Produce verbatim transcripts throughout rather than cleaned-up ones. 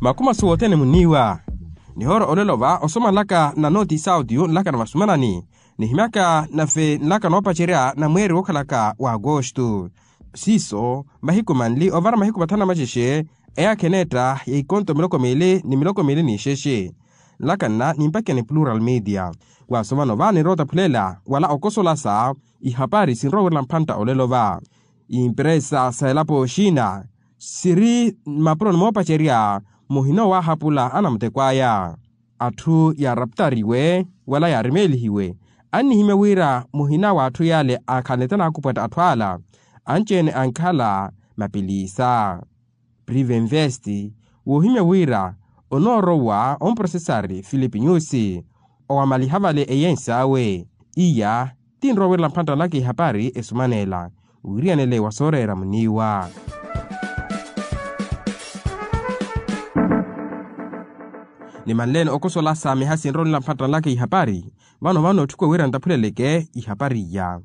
Makhuma suwothene muniiwa. Nihoora olelo va osoma nlaka na nooti sauti yu nlaka na vasumanani, nihimyaka nave nlaka noopacerya na mweeri wookhalaka wa agosto. Siiso mahiku manli ovara mahiku mathanu na maxexe, eyaakha eneetta ya ikonto miloko miili ni miloko miili n'ixexe. Nlaka nna nimpakeni plural media. Waaso vano va ninrowa otaphulela wala okosolasa ihapari sinrowa wirela mphantta olelo va. Impresa sa elapo oxina siri mapuroni moopacerya muhina owaahapula anamuteko aya. Atthu yaaraptariwe wala yaarimeelihiwe annihimya wira muhina w'atthu yale akhanlete naakupwatta atthu ala anci-ene ankhala mapilisa. Prive invest woohimya wira onoorowa omprosesari filipi nyusi owamaliha vale eyensi awe. Iya ti nrowa wirela mphantta nlaka ihapari esumanela wiriyanele wa sooreera muniiwa. Ni manleene okosola saamiha sinrowa nila mphantta nlaka ihapari. Vano vano otthukuwa wira ntaphuleleke ihapari iya.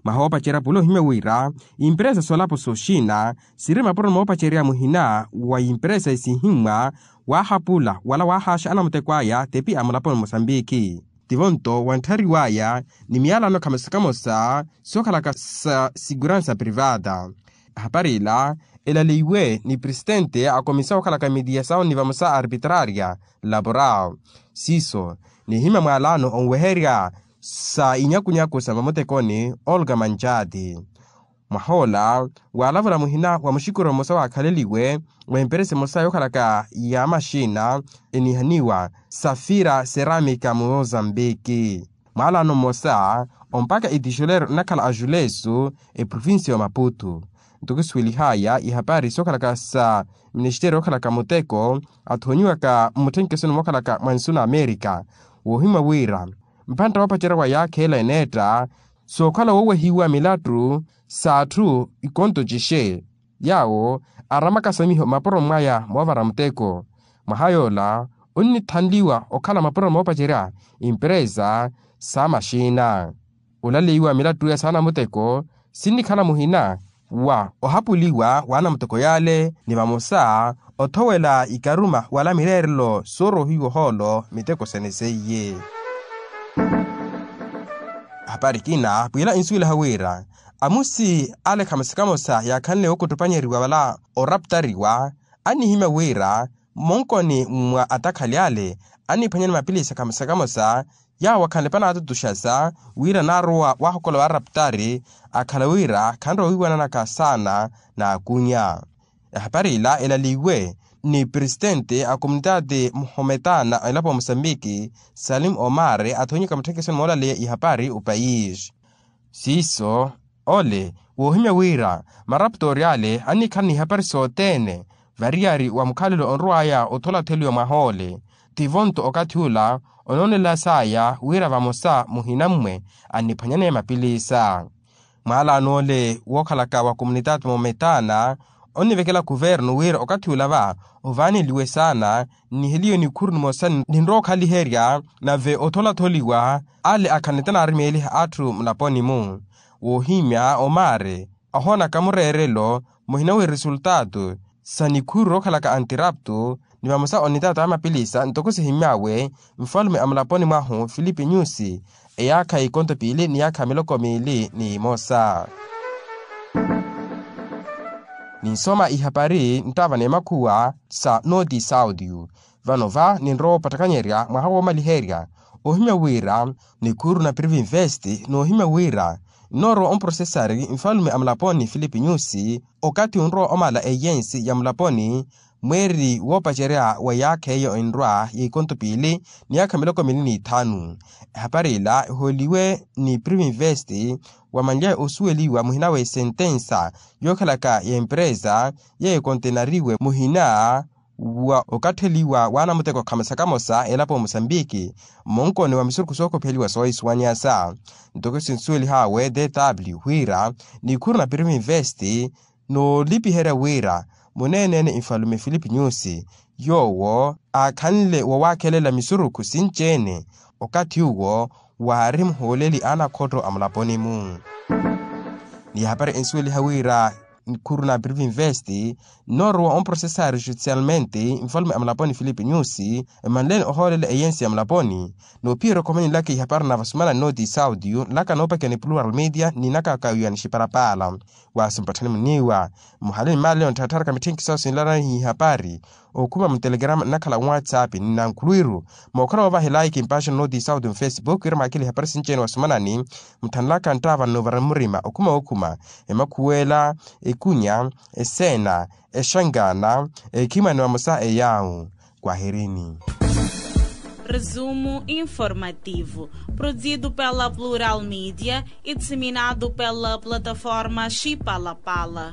Mwaha woopacerya pula ohimya wira impresa soolapo soxina siri mapuro moopacerya muhina wa impresa esihimmwa waahapula wala waahaaxa anamuteko aya tepi a mulaponi mosambiki. Tivo nto wantthariwaya ni miyalano khamosa khamosa sookhalaka sa siguransa privata. Hapari ila elaleiwe ni presitente a komisa okhalaka mediasawu ni vamosa arbitraria laboral. Siiso nihimya mwalano onweherya sa inyakunyaku sa mamutekoni olga manjati. Mwahoola waalavula muhina wa muxikuro mmosa waakhaleliwe wa emperesa emosa yookhalaka ya maxina enihaniwa safira seramika mozambiki. Mwalano mmosa ompaka etixolero nnakhala ajulesu eprovincia wa maputu. Nto kisuwelihaya ihapari sookhalaka sa ministeri yookhalaka muteko athoonyiwaka mmutthenkeso ni mookhalaka mwa nsu na amerika. Woohimwa wira mphantta woopacerya wa yaakha ela eneetta sookhala woowehiwa milattu s'atthu ikonto cixe yaawo aramaka samiho mapuro mwaya moovara muteko. Mwaha yoola onnithanliwa okhala mapuro moopacerya impresa sa maxina. Olaleiwa milattu ya saana muteko sinnikhala muhina wa ohapuliwa w'anamuteko yale ni vamosa othowela ikaruma wala mireerelo soorohiwa ohoolo miteko sene seiye. Hapari kina pwiila insuwelaha wira amusi ale khamosa khamosa yaakhanle wookuttupanyeriwa wala oraptariwa annihimya wira mmonkoni mwa atakhali ale anniphwanyani mapilisa khamosa khamosa yaawo akhanle panaatutuxasa wira naarowa waahokola waaraptari akhala wira khanrowa wiiwananaka saana n'akunya. Ehapari ila elaliwe ni presitente a komunitaati muhometana a elapo wa mosambiki salim omar athonyeka mutthekesoni moolaleya ihapari opayisi. Siiso ole woohimya wira maraptori ale annikhala n'ihapari sothene variyari wa mukhalelo onrowaya otholatholiwa mwaha ole. Tivo nto okathi ula onoonela saya wira vamosa muhina mmwe anniphwanyaneya mapilisa. Mwaalano ole wookhalaka wa komunitaati mometana onnivekela kuvernu wira okathi ula va ovaaneliwe saana nniheliwe nikhuru nimosa ninrowa okhaliherya nave otholatholiwa ale akhanlete naarimeeliha atthu mulaponi-mu. Woohimya omari ahoonaka mureerelo muhina wi resultaatu sa nikhuru rookhalaka antiraptu ni vamosa onitaata a mapilisa ntoko sihimyawe nfalume a mulaponi mwahu filipi nyusi eyaakha ikonto piili ni yaakha miloko miili ni imosa. Ninsoma ihapari nttaava n'emakhuwa sa nooti saudio. Vano va ninrowa opattakanyerya mwaha woomaliherya ohimya wira nikhuru na privinvest noohimya wira nnoorowa omprosesari nfalume a mulaponi filipi nyusi okathi onrowa omala eyensi ya mulaponi mweeri woopacerya wa yaakha eyo enrwa ya ikonto piili ni yaakha miloko miili n'ithanu. Ehapari ila ehooliwe ni privinvest wamanlyaye osuweliwa muhina w'esentensa yookhalaka y'empresa yeeyo ekontenariwe muhina wa okattheliwa w'anamuteko khamosa khamosa elapo mosambiki mmonkoni wa misurukhu sookopheliwa soohisuwanyasa. Ntoko sinsuwelihaawe dw wira nikhuru na privinvest noolipiherya wira muneeneene nfalume filipi nyusi yoowo aakhanle wowaakhelela misurukhu sinci-ene okathi uwo waari muhooleli a nakhotto a mulaponi-mu. Ni ehapari ensuweliha wira Khuru na prive invest, noorowa omprocessar judicialmente nfalume a mulaponi filipe nyusi, emanleni ohoolela eyensi ya mulaponi. Noophiya erokhomeni nlaka ihapari na vasumana noti saudio nlaka noopakiya ni plural media ni naka kawiyani xiparapala. Waasi mpatthani muniiwa muhale ni mali onthatharaka mitthenkisoosi nlala ihapari, okhuma mutelegrama nnakhala whatsapp ni nankhuluwiru. Mookhala woovaha elaiki mpaxo noti saudio mfacebook wira mwaakile ihapari sinci-ene wasumanani. Mutthanlaka nttaava nnuuvara mmurima okhuma wookhuma, emakhuwela, ekunya, eseena, exangana, ekhimani vamosa eyaawu. Kwahirini. Resumo informativo, produzido pela plural media e disseminado pela plataforma xipalapala.